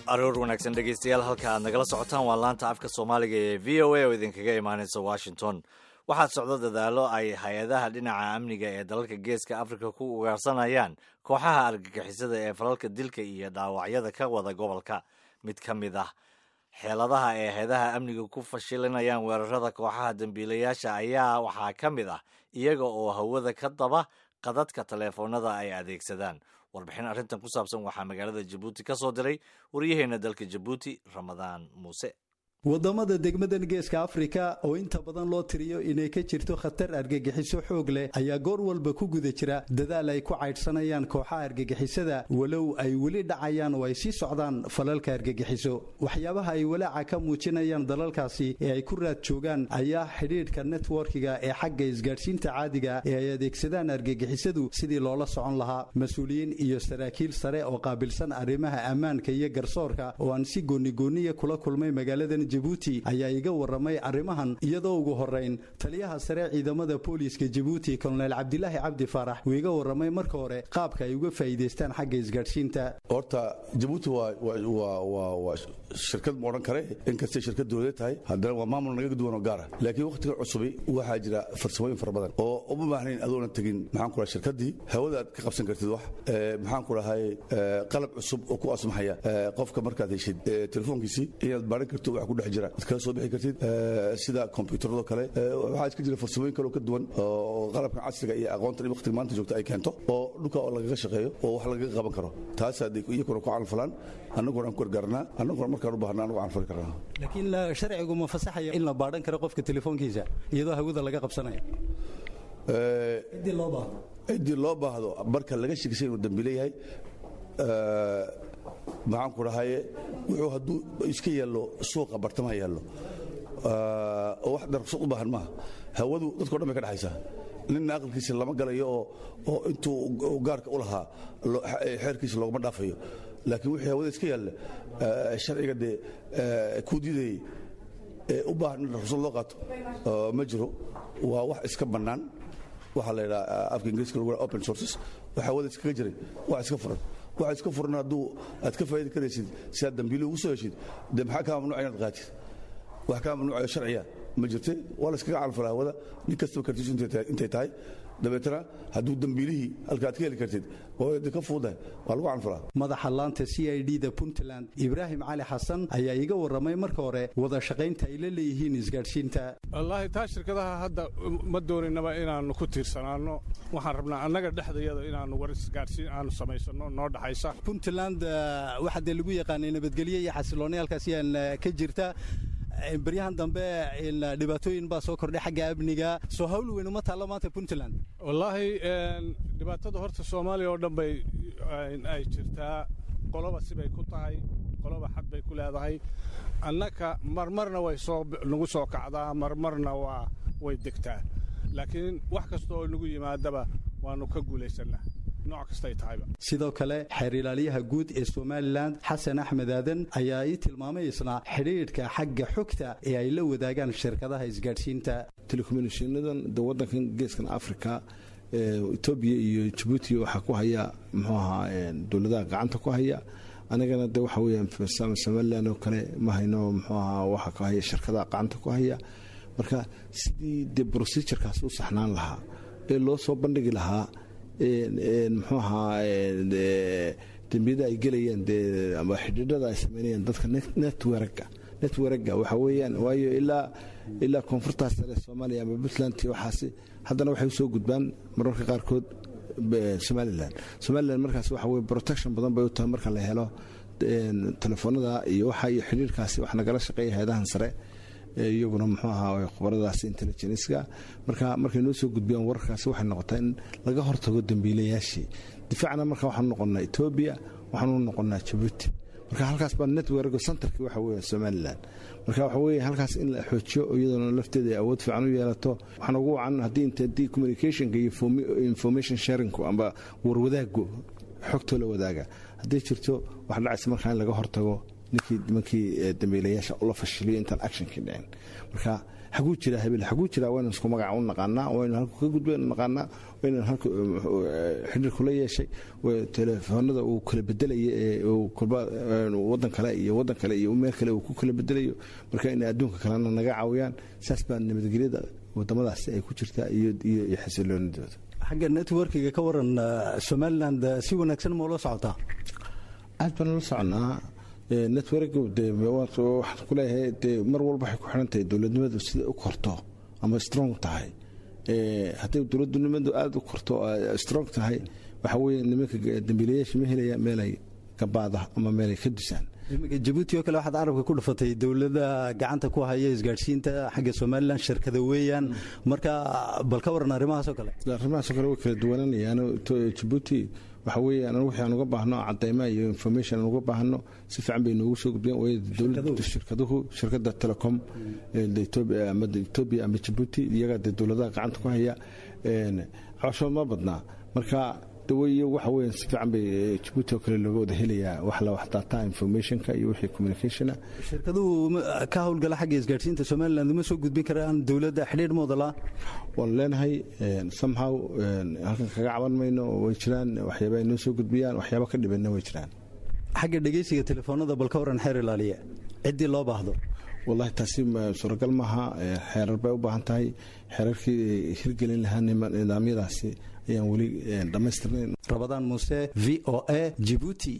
Aroor wanaagsan, dhegeystayaal. Halka aad nagala socotaan waa laanta afka Soomaaliga ee VOA oo idinkaga imaaneysa Washington. Waxaa socdo dadaallo ay hay-adaha dhinaca amniga ee dalalka Geeska Afrika ku ugaarsanayaan kooxaha argagixisada ee falalka dilka iyo dhaawacyada ka wada gobolka. Mid ka mid ah xeeladaha ay hay-adaha amniga ku fashilinayaan weerarada kooxaha dambiilayaasha ayaa waxaa ka mid ah iyaga oo hawada ka daba qadadka taleefoonada ay adeegsadaan. Warbixin arrintan ku saabsan waxaa magaalada Jabuuti ka soo diray waryaheena dalka Jabuuti, Ramadaan Muuse. Wadamada degmadan Geeska Afrika oo inta badan loo tiriyo inay ka jirto khatar argagixiso xoog leh ayaa goor walba ku guda jira dadaal ay ku caydhsanayaan kooxaha argagixisada, walow ay weli dhacayaan oo ay sii socdaan falalka argagixiso. Waxyaabaha ay walaaca ka muujinayaan dalalkaasi ee ay ku raad joogaan ayaa xidhiidhka networkiga ee xagga isgaadhsiinta caadiga ee ay adeegsadaan argagixisadu sidii loola socon lahaa. Mas-uuliyiin iyo saraakiil sare oo qaabilsan arrimaha ammaanka iyo garsoorka oo aan si goonigooniya kula kulmay magaaladan Jabuuti ayaa iga waramay arrimahan, iyadoo ugu horeyn taliyaha sare ciidamada booliiska Jabuuti, Kolonel Cabdilaahi Cabdi Faarax, uu iga waramay marka hore qaabka ay uga faa'iidaystaan xagga isgaadhsiinta. Horta Jabuuti waa shirkad ma odhan kare, inkastay shirkad dowladeed tahay, haddana waa maamul naga duwan oo gaara. Laakiin wakhtiga cusubi waxaa jira farsamooyin fara badan oo uma baahnayn adoona tegin, maxaan ku dhahay, shirkaddii hawada aad ka qabsan kartid wax, maxaan ku dhahay, qalab cusub oo ku asmaxaya qofka markaad heshid telefoonkiisii inaad baaran karto wax ku dhex jira, ad kala soo bixi kartid, sida kombiyuutarado kale. Waxaa iska jira farsamooyin kale oo ka duwan oo qalabkan casriga iyo aqoontan waqtiga maanta joogta ay keento oo dhulka oo lagaga shaqeeyo oo wax lagaga qaban karo. Taas iyakuna ku calanfalaan, annaguna aan ku gargaarnaa, annaguna markaan u baahna anagu canfali karnaa. Laakiin sharcigu ma fasaxaya in la baadhan karo qofka telefoonkiisa iyadoo hawada laga qabsanayo ciddii loo baahdo? Ciddii loo baahdo, marka laga shekisay inuu dambiile yahay, maxaan ku dhahaye, wuxuu hadduu iska yaallo suuqa bartamaha yaallo oo wax darqsad u baahan maaha. Hawadu dadko dhan bay ka dhexaysaa, ninna aqalkiisa lama galayo oo intuu gaarka u lahaa xeerkiisa loogama dhaafayo. Laakiin wixii hawada iska yaalla, sharciga dee kuu diidayey ee u baahan in ruqsad loo qaato ma jiro. Waa wax iska bannaan. Waxaa la yidhaha afka Ingiriiska lagu open sources. Waxa hawada iskaga jiray wax iska furan. Waxa iska furan hadduu aad ka faa'idi karaysid si aad dambiili ugu soo heshid, dee maxaa kaa mamnuuca inaad qaatid? Wax kaa mamnuucayo sharciya ma jirte. Waa la iskaga calfalaa hawada nin kastaba kartiisu intay tahay. Dabeetana hadduu dambiilihii halka aad ka heli kartid waa ka fuudahay, waa lagu canfalaa. Madaxa laanta CID da Puntland, Ibraahim Cali Xasan, ayaa iga warramay marka hore wada shaqaynta ay la leeyihiin isgaadhsiinta. Wallaahi taa shirkadaha hadda ma dooninaba inaannu ku tiirsanaanno. Waxaan rabnaa annaga dhexdayada inaannu war isgaadhsiin aanu samaysanno noo dhaxaysa. Puntland waxaa dee lagu yaqaanay nabadgelyo iyo xasilooni halkaas yaan ka jirta. Baryahan dambe dhibaatooyin baa soo kordhay xagga amniga. Soo hawl weyn uma taallo maanta Puntland? Wallaahi dhibaatada horta Soomaaliya oo dhan bay ay jirtaa. Qoloba sibay ku tahay, qoloba xad bay ku leedahay. Annaka marmarna way soo nagu soo kacdaa, marmarna waa way degtaa, laakiin wax kasta oo nagu yimaadaba waannu ka guulaysannaa, nooc kastay tahayba. Sidoo kale xeer ilaaliyaha guud ee Somalilan, Xasan Axmed Aadan, ayaa ii tilmaamay isna xidhiidhka xagga xogta ee ay la wadaagaan shirkadaha isgaadhsiinta. Telecommunicationadan de waddankan Geeskan Africa, Etoobiya iyo Jabuuti, waxaa ku haya, muxuu ahaa, dowladaha gacanta ku haya. Anagana de waxa weeyaan Somalilan oo kale ma hayno, muxuu ahaa, waxa ku haya shirkadaha gacanta ku haya. Marka sidii dee procedurekaas u saxnaan lahaa ee loo soo bandhigi lahaa, muxuu ahaa, dembiyada ay gelayaan dee ama xidhiidhada ay sameynayaan dadka networka waxa weeyaan, waayo ilaa koonfurtaas sare Soomaaliya ama Puntland iyo waxaasi, haddana waxay usoo gudbaan mararka qaarkood Somaliland. Markaas waxa weye protection badan bay u tahay marka la helo telefoonada iyo waxa iyo xidhiidhkaasi. Wax nagala shaqeeya hay-adahan sare iyaguna, muxuu ahaa, khubaradaasi intelligenceka. Marka markay noo soo gudbiyaan wararkaasi, waxay noqotaa in laga hortago dambiilayaashii difaacna. Marka waxaanu noqonnaa Etoobiya, waxaanu noqonnaa Jabuuti. Marka halkaas baa network centerki waxa weeye Somaliland. Marka waxa weeye halkaas in la xoojiyo, iyadoona lafteeda ay awood fiican u yeelato. Waxaan ugu wacan haddii inta haddii communicationka iyo information sharingku amba warwadaagu xogtoo la wadaaga hadday jirto, wax dhacaysa markaa in laga hortago Ninkii nimankii dambiilayaasha ula fashiliyo intaan actionkii dhicin. Marka xaguu jiraa hebel, xaguu jiraa, waynu isku magaca u naqaanaa, waynu halku ka gudbaynu naqaanaa, waynu halku xidhiir kula yeeshay, telefoonada uu kala bedelaya ee uu kolba wadan kale iyo wadan kale iyo meel kale uu ku kala bedelayo. Marka inay adduunka kalena naga caawiyaan, saas baa nabadgelyada wadamadaasi ay ku jirtaa iyo xasiloonidooda. Xagga networkiga ka waran, Somaliland si wanaagsan ma ula socotaa? Aad baan ula soconaa network. De waxaan ku leeyahay, dee mar walba waxay ku xiran tahay dowladnimadu sida u korto ama strong tahay. Hadday dowladnimadu aada u korto, strong tahay, waxa weeye nimanka dambiilayaasha ma helaya meelay gabaada ama meelay ka dusaan. Iminka Jabuuti oo kale waxaad carabka ku dhufatay dowladda gacanta ku haya isgaadhsiinta xagga Somaliland shirkada weeyaan. Marka bal ka waran arrimahaas oo kale? Arrimahaas oo kale way kala duwananayaan. Jabuuti waxa weeye anagu wixii aan uga baahno cadayma iyo information aan uga baahno si fiican bay noogu soo gudbiyaan, waayo dowladda shirkaduhu, shirkadda telecom Ethiopia ama Ethiopia ama Djibouti, iyaga dee dowladaha gacanta ku haya cabashood ma badnaa. Marka daweyo waxa weeye si fiican bay Djibouti oo kale looga wada helayaa wax la wax data informationka iyo wixii communicationa. Shirkaduhu ka howlgala xagga isgaadhsiinta Somaliland uma soo gudbin karaan dowladda xidhiidh mooda la? Waan leenahay somehow, halkan kaga caban mayno. Way jiraan waxyaaba ay noo soo gudbiyaan, waxyaaba ka dhibanna way jiraan. Xagga dhegeysiga telefoonada bal ka waran, xeer ilaaliye, ciddii loo baahdo? Wallahi taasi suuragal maaha. Xeerar bay u baahan tahay. Xeerarkii hirgelin lahaa nidaamyadaasi ayaan weli dhammaystirnayn. Rabadaan Muuse, VOA, Jibuuti.